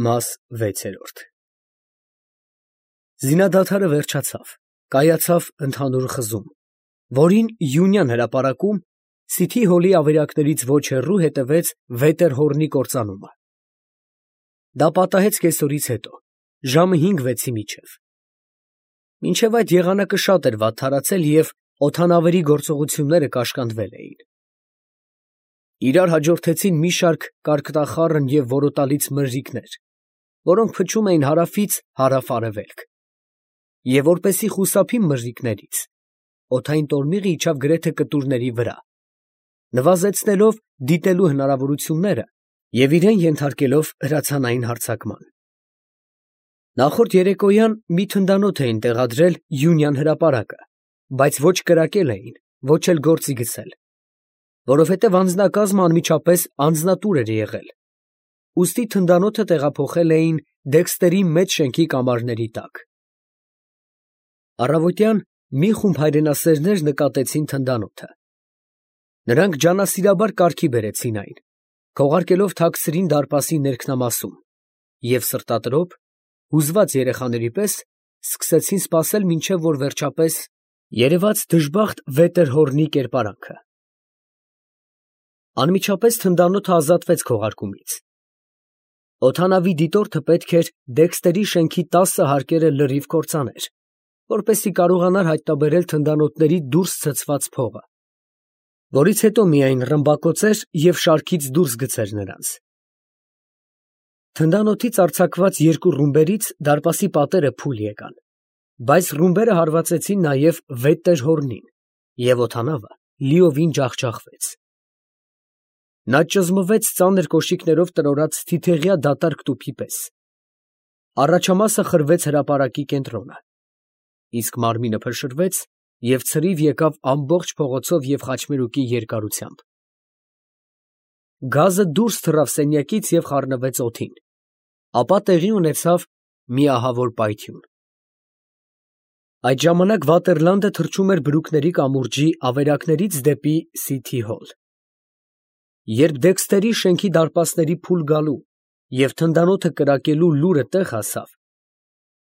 Մաս 6 Զինադադարը վերջացավ, կայացավ ընդհանուր խզում, որին Յունյան հրապարակում Սիթի հոլի ավերակներից ոչ հեռու հետևեց Վետերհորնի կործանումը։ Դա պատահեց կեսօրից հետո, ժամը 5-6-ի միջև։ Մինչև այդ եղանակը շատ էր վատթարացել և օդանավերի գործողությունները կաշկանդվել էին։ Իրար հաջորդեցին մի շարք կարկտախառն և որոտալից մրրիկներ, որոնք փչում էին հարավից հարավ֊արևելք, և որպեսզի խուսափի մրրիկներից, օդային տորմիղը իջավ գրեթե կտուրների վրա, նվազեցնելով դիտելու հնարավորությունները և իրան ենթարկելով հրացանային հարձակման։ Նախորդ երեկոյան մի թնդանոթ էին տեղադրել Յունյան հրապարակը, բայց ոչ կրակել էին, ոչ էլ գործի գցել, որովհետև անձնակազմը անմիջապես անձնատուր էր եղել, ուստի թնդանոթը տեղափոխել էին Դեքստերի մեծ շենքի կամարների տակ։ Առավոտյան մի խումբ հայրենասերներ նկատեցին թնդանոթը։ Նրանք ջանասիրաբար կարգի բերեցին այն, քողարկելով թաքցրին դարպասի ներքնամասում և սրտատրոփ, հուզված երեխաների պես սկսեցին սպասել, մինչև որ վերջապես երևաց դժբախտ Վետերհորնի կերպարանքը։ Անմիջապես թնդանոթը ազատվեց քողարկումից։ Օդանավի դիտորդը պետք էր Դեքստերի շենքի 10 հարկերը լրիվ կործաներ, որպեսզի կարողանար հայտնաբերել թնդանոթների դուրս ցցված փողը, որից հետո միայն ռմբակոծեր և շարքից դուրս գցեր նրանց։ Թնդանոթից արձակված երկու ռումբերից դարպասի պատերը փուլ եկան, բայց ռումբերը հարվածեցին նաև Վետերհորնին, և օդանավը լիովին ջախջախվեց։ Նա ճզմվեց ծանր կոշիկներով տրորած թիթեղյա դատարկ տուփի պես։ Առաջամասը խրվեց հրապարակի կենտրոնը, իսկ մարմինը փշրվեց և ցրիվ եկավ ամբողջ փողոցով և խաչմերուկի երկարությամբ։ Գազը դուրս թռավ սենյակից և խառնվեց օդին, ապա տեղի ունեցավ մի ահավոր պայթյուն։ Այդ ժամանակ Վատերլանդը թռչում էր բրուկների կամուրջի ավերակներից դեպի Սիթի հոլ։ Երբ Դեքստերի շենքի դարպասների փուլ գալու և թնդանոթը կրակելու լուրը տեղ հասավ,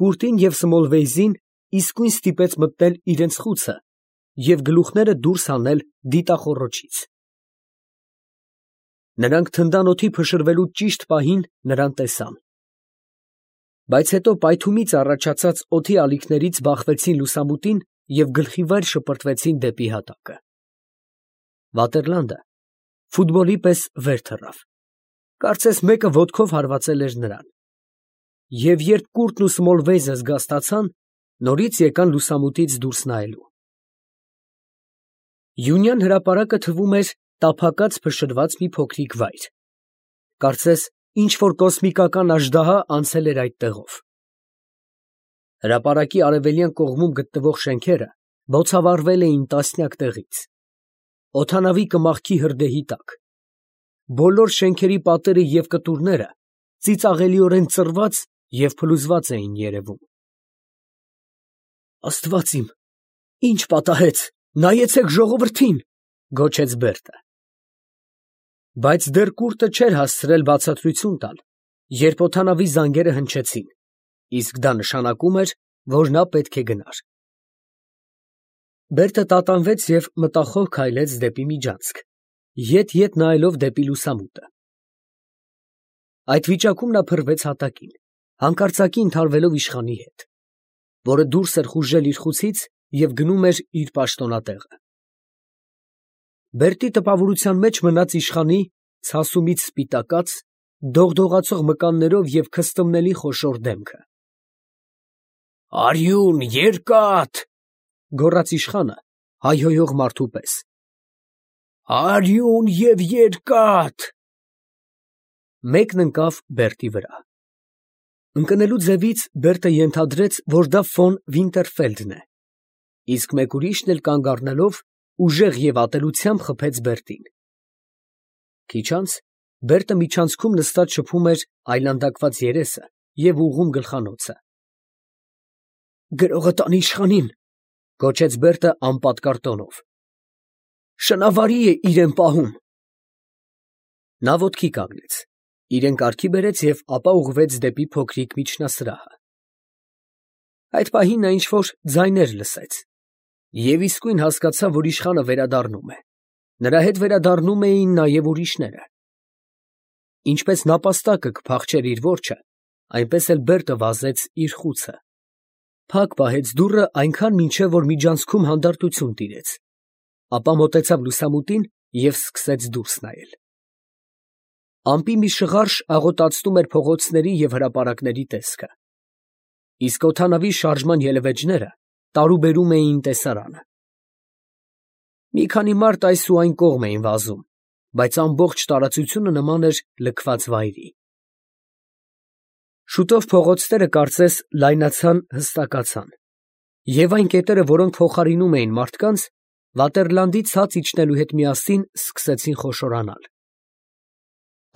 Կուրտին և Սմոլվեյզին իսկույն ստիպեց մտնել իրենց խուցը և գլուխները դուրս հանել դիտախոռոչից։ Նրանք թնդանոթի փշրվելու ճիշտ պահին նրան տեսան, բայց հետո պայթումից առաջացած օդի ալիքներից բախվեցին լուսամուտին և գլխիվայր շպրտվեցին դեպի հատակը։ Վատերլանդը ֆուտբոլի պես վեր թռավ, կարծես մեկը ոտքով հարվածել էր նրան, և երբ Կուրտն ու Սմոլվեյզը զգաստացան, նորից եկան լուսամուտից դուրս նայելու։ Յունյան հրապարակը թվում էր տափակած փշրված մի փոքրիկ վայր, կարծես ինչ֊որ կոսմիկական աժդահա անցել էր այդտեղով։ Հրապարակի արևելյան կողմում գտնվող շենքերը բոցավառվել էին տասնյակ տեղից, օդանավի կմախքի հրդեհի տակ, բոլոր շենքերի պատերը և կտուրները ծիծաղելիորեն ծռված և փլուզված էին երևում։ «Աստված իմ, ի՞նչ պատահեց, նայեցեք ժողովրդին», ֊ գոչեց Բերտը։ Բայց դեռ Կուրտը չէր հասցրել բացատրություն տալ, երբ օդանավի զանգերը հնչեցին, իսկ դա նշանակում էր, որ նա պետք է գնար։ Բերտը տատանվեց և մտախոհ քայլեց դեպի միջանցք, ետ նայելով դեպի լուսամուտը։ Այդ վիճակում նա փռվեց հատակին, հանկարծակի ընդհարվելով իշխանի հետ, որը դուրս էր խուժել իր խուցից և գնում էր իր պաշտոնատեղը։ Բերտի տպավորության մեջ մնաց իշխանի ցասումից սպիտակած, դողդողացող մկաններով և քստմնելի խոշոր դեմքը։ «Արյուն, երկաթ», ֊ գոռաց իշխանը հայհոյող մարդու պես։ «Արյուն և երկաթ»։ Մեկն ընկավ Բերտի վրա։ Ընկնելու ձևից Բերտը ենթադրեց, որ դա ֆոն Վինտերֆելդն է, իսկ մեկ ուրիշն էլ կանգ առնելով ուժեղ և ատելությամբ խփեց Բերտին։ Քիչ անց Բերտը միջանցքում նստած շփում էր այլանդակված երեսը և ուղղում գլխանոցը։ «Գրողը տանի իշխանին», ֊ գոչեց Բերտը անպատկառ տոնով։ «Շնավարի է իրեն պահում»։ Նա ոտքի կանգնեց, Իրեն կարգի բերեց և ապա ուղղվեց դեպի փոքրիկ միջնասրահը։ Այդ պահին նա ինչ-որ ձայներ լսեց և իսկույն հասկացավ, որ իշխանը վերադառնում է. նրա հետ վերադառնում էին նաև ուրիշները։ Ինչպես նապաստակը կփախչեր իր որջը, այնպես էլ Բերտը վազեց իր խուցը։ Փակ պահեց դուռը այնքան մինչև որ միջանցքում հանդարտություն տիրեց, ապա մոտեցավ լուսամուտին և սկսեց դուրս նայել։ Ամպի մի շղարշ աղոտացնում էր փողոցների և հրապարակների տեսքը, իսկ օդանավի շարժման ելևէջները տարուբերում էին տեսարանը։ Մի քանի մարդ այս ու այն կողմ էին վազում, բայց ամբողջ տարածությունը նման էր լքված վայրի։ Շուտով փողոցները կարծես լայնացան, հստակացան, և այն կետերը, որոնք փոխարինում էին մարդկանց, Վատերլանդի ցած իջնելու հետ միասին սկսեցին խոշորանալ։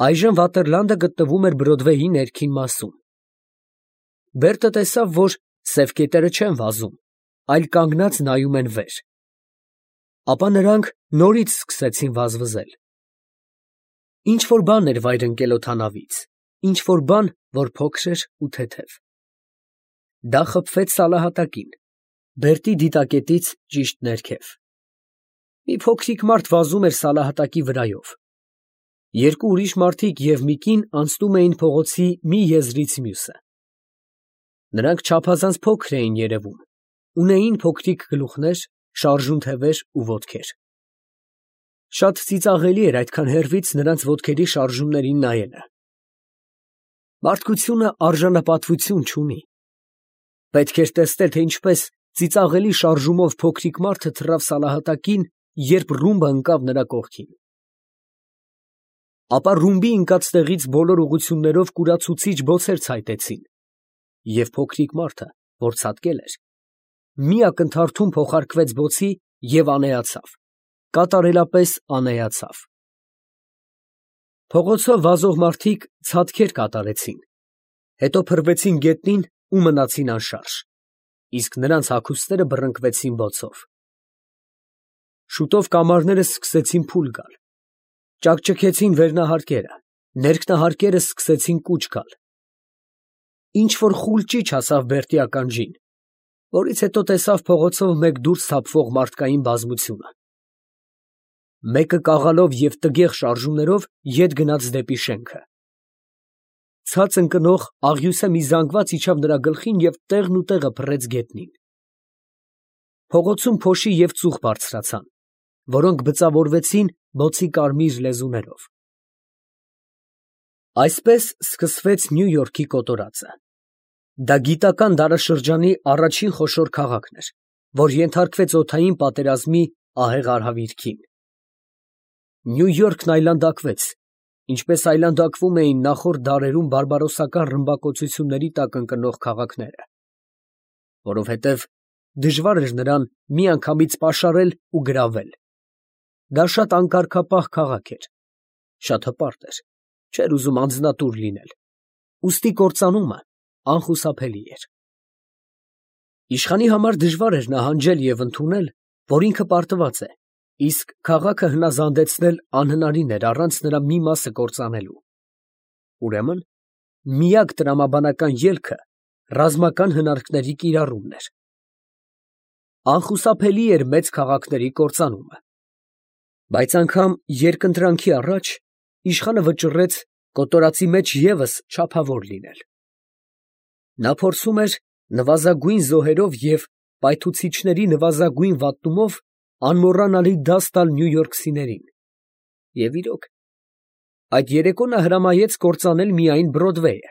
Այժմ Վատերլանդը գտնվում էր Բրոդվեյի ներքին մասում։ Բերտը տեսավ, որ սև կետերը չեն վազում, այլ կանգնած նայում են վեր։ Ապա նրանք նորից սկսեցին վազվզել։ Ինչ֊որ բան էր վայր ընկել օդանավից, ինչ֊որ բան, որ փոքր էր ու թեթև։ Դա խփվեց սալահատակին, Բերտի դիտակետից ճիշտ ներքև։ Մի փոքրիկ մարդ վազում էր սալահատակի վրայով։ Երկու ուրիշ մարդիկ և մի կին անցնում էին փողոցի մի եզրից մյուսը։ Նրանք չափազանց փոքր էին երևում, ունեին փոքրիկ գլուխներ, շարժուն թևեր ու ոտքեր։ Շատ ծիծաղելի էր այդքան հեռվից նրանց ոտքերի շարժումներին նայելը։ Մարդկությունը արժանապատվություն չունի։ Պետք էր տեսնել, թե ինչպես ծիծաղելի շարժումով փոքրիկ մարդը թռավ սալահատակին, երբ ռումբը ընկավ նրա կողքին։ Ապա ռումբի ընկած տեղից բոլոր ուղղություններով կուրացուցիչ բոցեր ցայտեցին, և փոքրիկ մարդը, որ ցատկել էր, մի ակնթարթում փոխարկվեց բոցի և անեացավ, կատարելապես անեացավ։ Փողոցով վազող մարդիկ ցատքեր կատարեցին, հետո փռվեցին գետնին ու մնացին անշարժ, իսկ նրանց հագուստները բռնկվեցին բոցով։ Շուտով կամարները սկսեցին փուլ գալ, ճաքճքեցին վերնահարկերը, ներքնահարկերը սկսեցին կուչ գալ։ Ինչ-որ խուլ ճիչ հասավ Բերտի ականջին, որից հետո տեսավ փողոցով մեկ դուրս թափվող մարդկային բազմությունը։ Մեկը կաղալով և տգեղ շարժումներով ետ գնաց դեպի շենքը։ Ցած ընկնող աղյուսե մի զանգված իջավ նրա գլխին և տեղն ու տեղը փռեց գետնին։ Փողոցում փոշի և ծուխ բարձրացան, որոնք բծավորվեցին բոցի կարմիր լեզուներով։ Այսպես սկսվեց Նյու Յորքի կոտորածը։ Դա գիտական դարաշրջանի առաջին խոշոր քաղաքն էր, որ ենթարկվեց օդային պատերազմի ահեղ արհավիրքին։ Նյու Յորքն այլանդակվեց, ինչպես այլանդակվում էին նախորդ դարերում բարբարոսական ռմբակոծությունների տակ ընկնող քաղաքները, որովհետև դժվար էր նրան միանգամից պաշարել ու գրավել։ Դա շատ անկարգապահ քաղաք էր, շատ հպարտ էր, չէր ուզում անձնատուր լինել, ուստի կործանումը անխուսափելի էր։ Իշխանի համար դժվար էր նահանջել և ընդունել, որ ինքը պարտված է, իսկ քաղաքը հնազանդեցնել անհնարին էր առանց նրա մի մասը կործանելու։ Ուրեմն միակ տրամաբանական ելքը ռազմական հնարքների կիրառումն էր։ Անխուսափելի էր մեծ քաղաքների կործանումը։ Բայց անգամ երկընտրանքի առաջ իշխանը վճռեց կոտորածի մեջ ևս չափավոր լինել։ Նա փորձում էր նվազագույն զոհերով և պայթուցիչների նվազագույն վատնումով անմոռանալի դաս տալ նյույորքցիներին։ Եվ իրոք, այդ երեկո նա հրամայեց կործանել միայն Բրոդվեյը։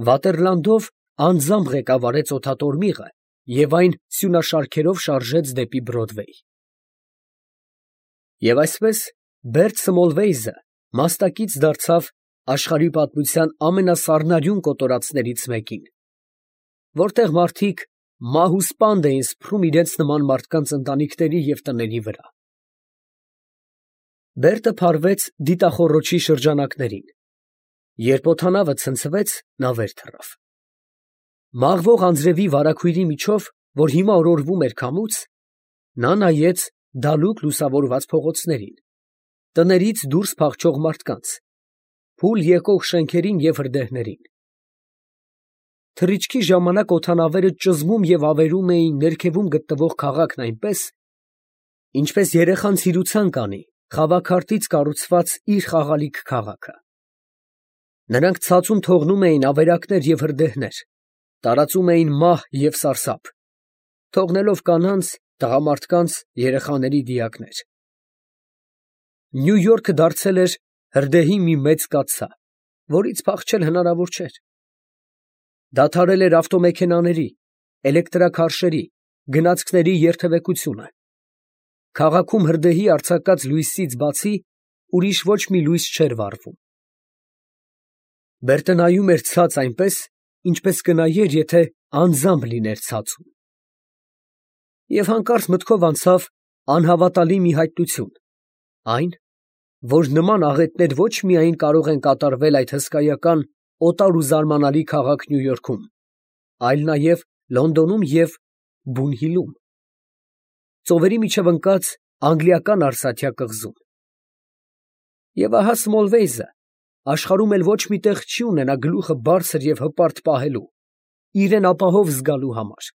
Վատերլանդով անձամբ ղեկավարեց օդատորմիղը և այն սյունաշարքերով շարժեց դեպի Բրոդվեյ։ Եվ այսպես Բերտ Սմոլվեյզը մասնակից դարձավ աշխարհի պատմության ամենասառնարյուն կոտորածներից մեկին, որտեղ մարդիկ մահ ու սպանդ էին սփռում իրենց նման մարդկանց ընտանիքների և տների վրա։ Բերտը փարվեց դիտախոռոչի շրջանակներին։ Երբ օդանավը ցնցվեց, նա վեր թռավ։ Մաղվող անձրևի վարագույրի միջով, որ հիմա օրորվում էր քամուց, նա նայեց դալուկ լուսավորված փողոցներին, տներից դուրս փախչող մարդկանց, փուլ եկող շենքերին և հրդեհներին։ Թռիչքի ժամանակ օդանավերը ճզմում և ավերում էին ներքևում գտնվող քաղաքն այնպես, ինչպես երեխան ցիրուցան կանի խավաքարտից կառուցված իր խաղալիք քաղաքը։ Նրանք ցածում թողնում էին ավերակներ և հրդեհներ, տարածում էին մահ և սարսափ, թողնելով կանանց, տղամարդկանց, երեխաների դիակներ։ Նյու Յորքը դարձել էր հրդեհի մի մեծ կաթսա, որից փախչել հնարավոր չէր։ Դադարել էր ավտոմեքենաների, էլեկտրաքարշերի, գնացքների երթևեկությունը։ Քաղաքում հրդեհի արձակած լույսից բացի ուրիշ ոչ մի լույս չէր վառվում։ Բերտը նայում էր ցած այնպես, ինչպես կնայեր, եթե անձամբ լիներ ցածում։ Եվ հանկարծ մտքով անցավ անհավատալի մի հայտնություն, այն, որ նման աղետներ ոչ միայն կարող են կատարվել այդ հսկայական, օտար ու զարմանալի քաղաք Նյու Յորքում, այլ նաև Լոնդոնում և Բունհիլում, ծովերի միջև ընկած անգլիական արծաթյա կղզում։ Եվ ահա Սմոլվեյզը աշխարհում էլ ոչ մի տեղ չի ունենա գլուխը բարձր և հպարտ պահելու, իրան ապահով զգալու համար։